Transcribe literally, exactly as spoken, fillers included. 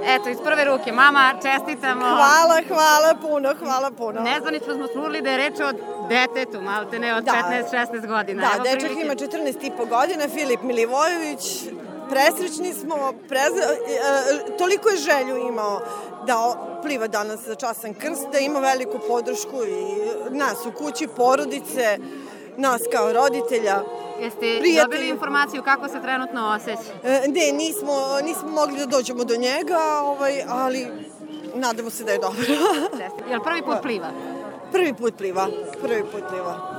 Eto, iz prve ruke. Mama, čestitamo. Hvala, hvala puno, hvala puno. Nezvanično smo čuli da je reč o detetu, malte ne, od petnaest šesnaest godina. Da, dečak ima četrnaest i po godina, Filip Milivojević. Presrećni smo, prezre... e, toliko je želju imao da pliva danas za častan krst, da ima veliku podršku i nas u kući, porodice, nas kao roditelja. Jeste prijatelji. Dobili informaciju kako se trenutno osjeća? E, ne, nismo, nismo mogli da dođemo do njega, ovaj, ali nadamo se da je dobro. Jel prvi put pliva? Prvi put pliva, prvi put pliva.